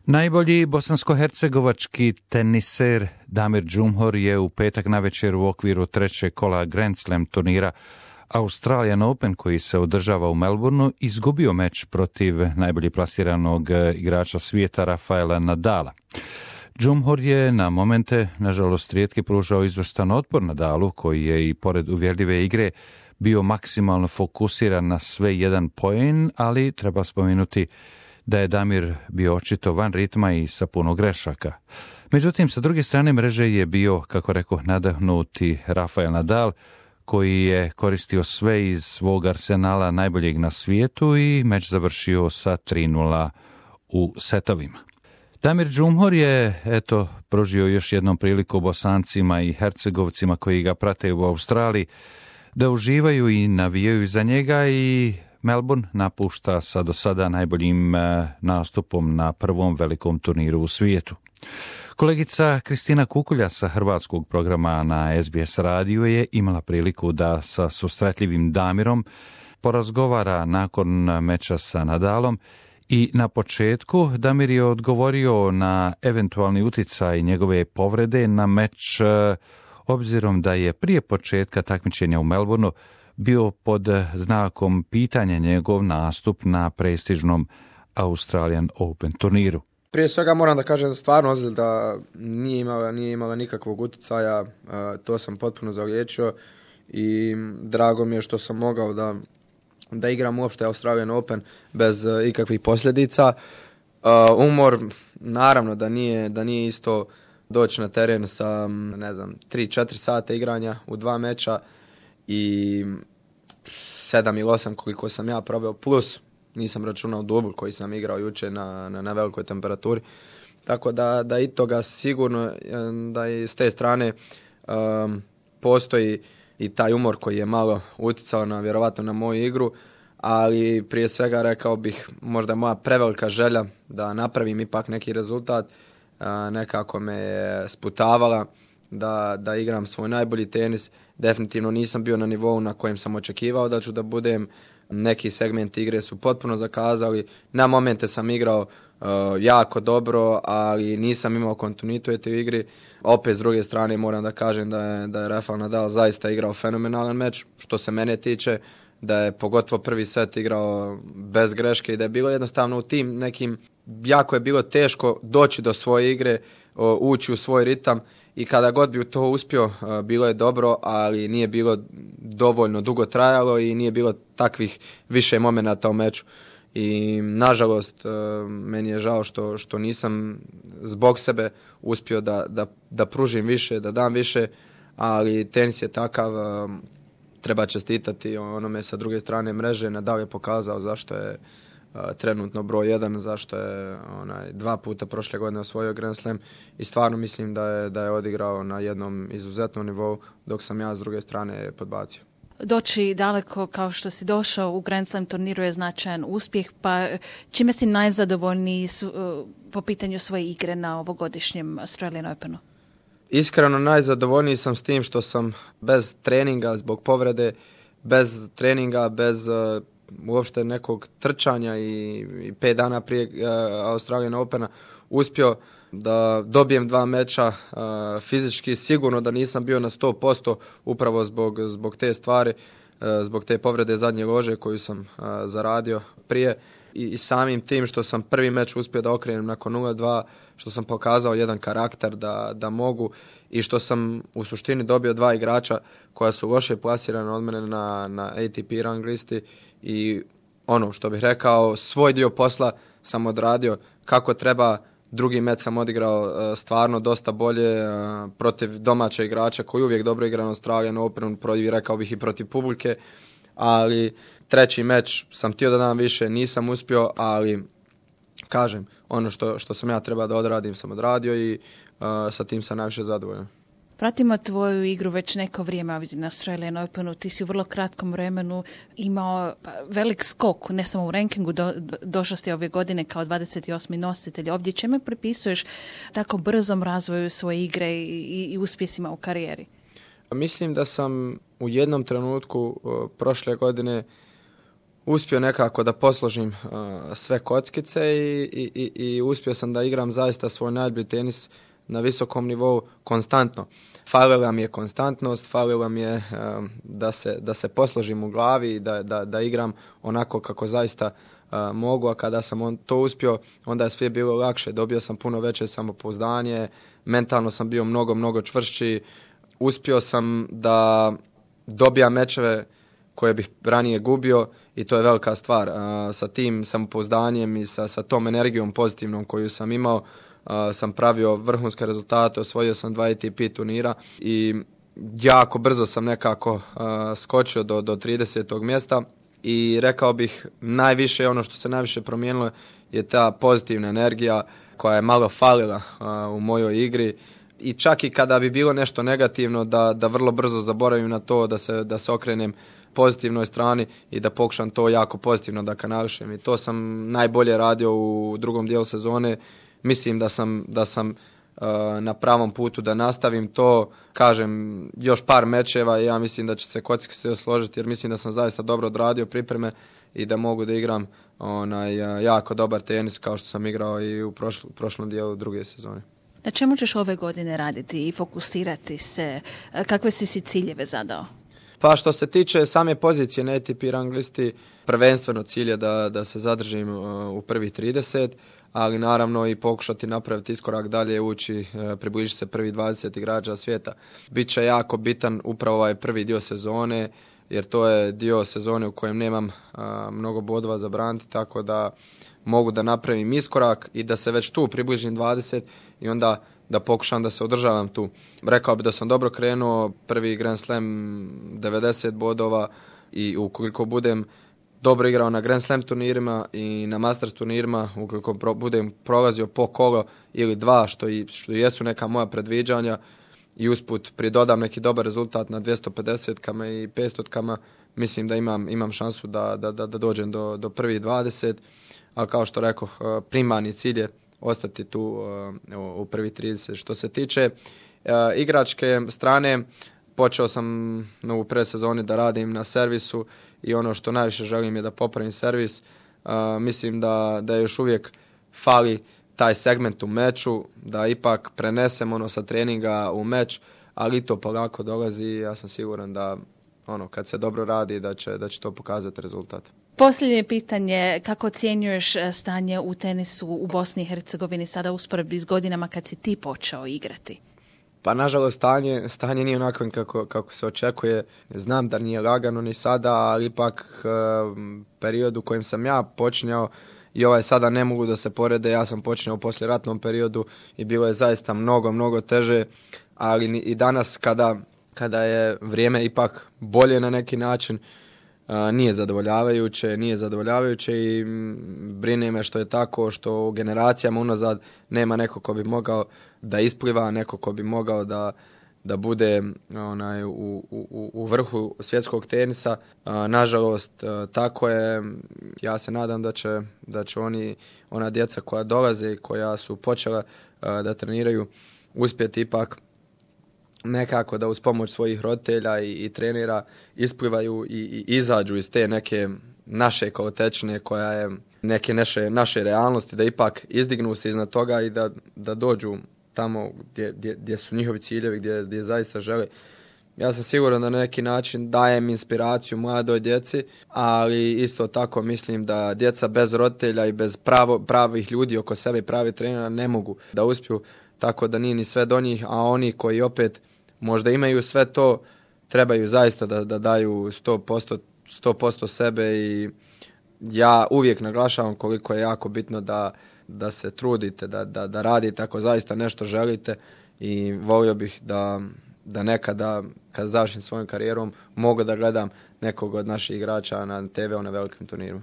Najbolji bosansko-hercegovački teniser Damir Džumhur je u petak navečer u okviru trećeg kola Grand Slam turnira Australian Open koji se održava u Melbourneu izgubio meč protiv najbolje plasiranog igrača svijeta Rafaela Nadala. Džumhur je na momente, nažalost, rijetki pružao izvrstan otpor Nadalu, koji je i pored uvjerljive igre bio maksimalno fokusiran na sve jedan poen, ali treba spomenuti da je Damir bio očito van ritma i sa puno grešaka. Međutim, sa druge strane mreže je bio, kako rekoh, nadahnuti Rafael Nadal, koji je koristio sve iz svog arsenala najboljeg na svijetu i meč završio sa 3:0 u setovima. Damir Džumhur je, pružio još jednom priliku Bosancima i Hercegovcima koji ga prate u Australiji da uživaju i navijaju za njega i Melbourne napušta sa do sada najboljim nastupom na prvom velikom turniru u svijetu. Kolegica Kristina Kukulja sa hrvatskog programa na SBS radiju je imala priliku da sa susretljivim Damirom porazgovara nakon meča sa Nadalom i na početku Damir je odgovorio na eventualni utjecaj njegove povrede na meč, obzirom da je prije početka takmičenja u Melbourneu bio pod znakom pitanja njegov nastup na prestižnom Australian Open turniru. Prije svega moram da kažem da stvarno ozljeda nije imala nikakvog utjecaja, to sam potpuno zaliječio i drago mi je što sam mogao da igram uopšte Australian Open bez ikakvih posljedica. Umor, naravno da nije isto doći na teren sa 3-4 sata igranja u 2 meča i 7 ili 8 koliko sam ja proveo, plus nisam računao dubl koji sam igrao juče na velikoj temperaturi. Tako da i toga sigurno da i s te strane postoji i taj umor koji je malo utjecao vjerovatno na moju igru, ali prije svega rekao bih možda moja prevelika želja da napravim ipak neki rezultat nekako me je sputavala da igram svoj najbolji tenis. Definitivno nisam bio na nivou na kojem sam očekivao da ću da budem. Neki segmenti igre su potpuno zakazali. Na momente sam igrao jako dobro, ali nisam imao kontinuitet u igri. Opet s druge strane moram da kažem da je Rafael Nadal zaista igrao fenomenalan meč, što se mene tiče, da je pogotovo prvi set igrao bez greške i da je bilo jednostavno u tim nekim, jako je bilo teško doći do svoje igre, ući u svoj ritam i kada god bi to uspio bilo je dobro, ali nije bilo dovoljno dugo trajalo i nije bilo takvih više momenata u meču. I nažalost meni je žao što nisam zbog sebe uspio da pružim više, da dam više, ali tenis je takav, treba čestitati onome sa druge strane mreže. Nadal je pokazao zašto je trenutno broj 1, zašto je 2 puta prošle godine osvojio Grand Slam i stvarno mislim da je odigrao na jednom izuzetnom nivou, dok sam ja s druge strane podbacio. Doći daleko kao što si došao u Grand Slam turniru je značajan uspjeh, pa čime si najzadovoljniji po pitanju svoje igre na ovogodišnjem Australian Openu? Iskreno najzadovoljniji sam s tim što sam bez treninga zbog povrede, bez treninga, bez uopšte nekog trčanja i 5 dana prije Australian Opena uspio da dobijem 2 meča. Fizički sigurno da nisam bio na 100% upravo zbog te stvari, zbog te povrede zadnje lože koju sam zaradio prije i samim tim što sam prvi meč uspio da okrenem nakon 0-2, što sam pokazao jedan karakter da mogu i što sam u suštini dobio 2 igrača koja su loše plasirana od mene na ATP rang listi i ono što bih rekao, svoj dio posla sam odradio kako treba. Drugi meč sam odigrao stvarno dosta bolje protiv domaća igrača koji uvijek dobro igra na Australian Openu, rekao bih i protiv publike, ali treći meč sam htio da dam više, nisam uspio, ali kažem, ono što sam ja trebao da odradim sam odradio i sa tim sam najviše zadovoljan. Pratimo tvoju igru već neko vrijeme ovdje na Australian Openu. Ti si u vrlo kratkom vremenu imao velik skok, ne samo u rankingu, došao si ove godine kao 28. nositelj. Ovdje čemu pripisuješ tako brzom razvoju svoje igre i uspjesima u karijeri? Mislim da sam u jednom trenutku prošle godine uspio nekako da posložim sve kockice i uspio sam da igram zaista svoj najbolji tenis na visokom nivou konstantno. Falila mi je konstantnost, falila mi je da se posložim u glavi i da igram onako kako zaista mogu, a kada sam to uspio, onda je sve bilo lakše. Dobio sam puno veće samopouzdanje, mentalno sam bio mnogo čvršći, uspio sam da dobijam mečeve koje bih ranije gubio i to je velika stvar. Sa tim samopouzdanjem i sa tom energijom pozitivnom koju sam imao, sam pravio vrhunske rezultate, osvojio sam 2 ATP turnira i jako brzo sam nekako skočio do 30. mjesta i rekao bih najviše, ono što se najviše promijenilo je ta pozitivna energija koja je malo falila u mojoj igri i čak i kada bi bilo nešto negativno da vrlo brzo zaboravim na to, da se okrenem pozitivnoj strani i da pokušam to jako pozitivno da kanališem i to sam najbolje radio u drugom dijelu sezone. Mislim da sam na pravom putu da nastavim to, kažem, još par mečeva i ja mislim da će se kockice sve složiti jer mislim da sam zaista dobro odradio pripreme i da mogu da igram jako dobar tenis kao što sam igrao i u prošlom dijelu druge sezone. Na čemu ćeš ove godine raditi i fokusirati se? Kakve si ciljeve zadao? Pa što se tiče same pozicije na ATP rang listi, prvenstveno cilj je da se zadržim u prvih 30, ali naravno i pokušati napraviti iskorak dalje, ući, približiti se prvi 20 igrača svijeta. Biće jako bitan upravo ovaj prvi dio sezone, jer to je dio sezone u kojem nemam mnogo bodova za braniti, tako da mogu da napravim iskorak i da se već tu približim 20 i onda da pokušam da se održavam tu. Rekao bi da sam dobro krenuo, prvi Grand Slam 90 bodova i ukoliko budem dobro igrao na Grand Slam turnirima i na Masters turnirima, ukoliko budem prolazio po kolo ili dva, što jesu neka moja predviđanja i usput pridodam neki dobar rezultat na 250-kama i 500-kama, mislim da imam šansu da dođem do prvih 20, ali kao što rekoh, primarni cilj je ostati tu u prvih 30. Što se tiče igračke strane, počeo sam u predsezoni da radim na servisu i ono što najviše želim je da popravim servis. Mislim da još uvijek fali taj segment u meču, da ipak prenesem sa treninga u meč, ali to polako dolazi i ja sam siguran da kad se dobro radi da će to pokazati rezultat. Posljednje pitanje, kako ocjenjuješ stanje u tenisu u Bosni i Hercegovini sada usporedbi s godinama kad si ti počeo igrati? Pa nažalost stanje nije onako kako se očekuje. Znam da nije lagano ni sada, ali ipak period u kojem sam ja počinjao i ovaj sada ne mogu da se porede. Ja sam počinjao u poslijeratnom periodu i bilo je zaista mnogo teže, ali i danas kada je vrijeme ipak bolje na neki način, nije zadovoljavajuće i brine me što je tako, što u generacijama unazad nema neko ko bi mogao da ispliva, neko ko bi mogao da bude u vrhu svjetskog tenisa. Nažalost, tako je. Ja se nadam da će ona djeca koja dolaze i koja su počela da treniraju uspjeti ipak nekako da uz pomoć svojih roditelja i trenera isplivaju i izađu iz te neke naše kolotečine koja je neke naše realnosti, da ipak izdignu se iznad toga i da dođu tamo gdje su njihovi ciljevi, gdje zaista žele. Ja sam siguran da na neki način dajem inspiraciju mladoj djeci, ali isto tako mislim da djeca bez roditelja i bez pravih ljudi oko sebe i pravih trenera ne mogu da uspiju, tako da nije ni sve do njih, a oni koji opet možda imaju sve to, trebaju zaista da daju 100% sebe i ja uvijek naglašavam koliko je jako bitno da se trudite, da radite ako zaista nešto želite i volio bih da nekada kad završim svojom karijerom mogu da gledam nekog od naših igrača na TV-u na velikim turnirima.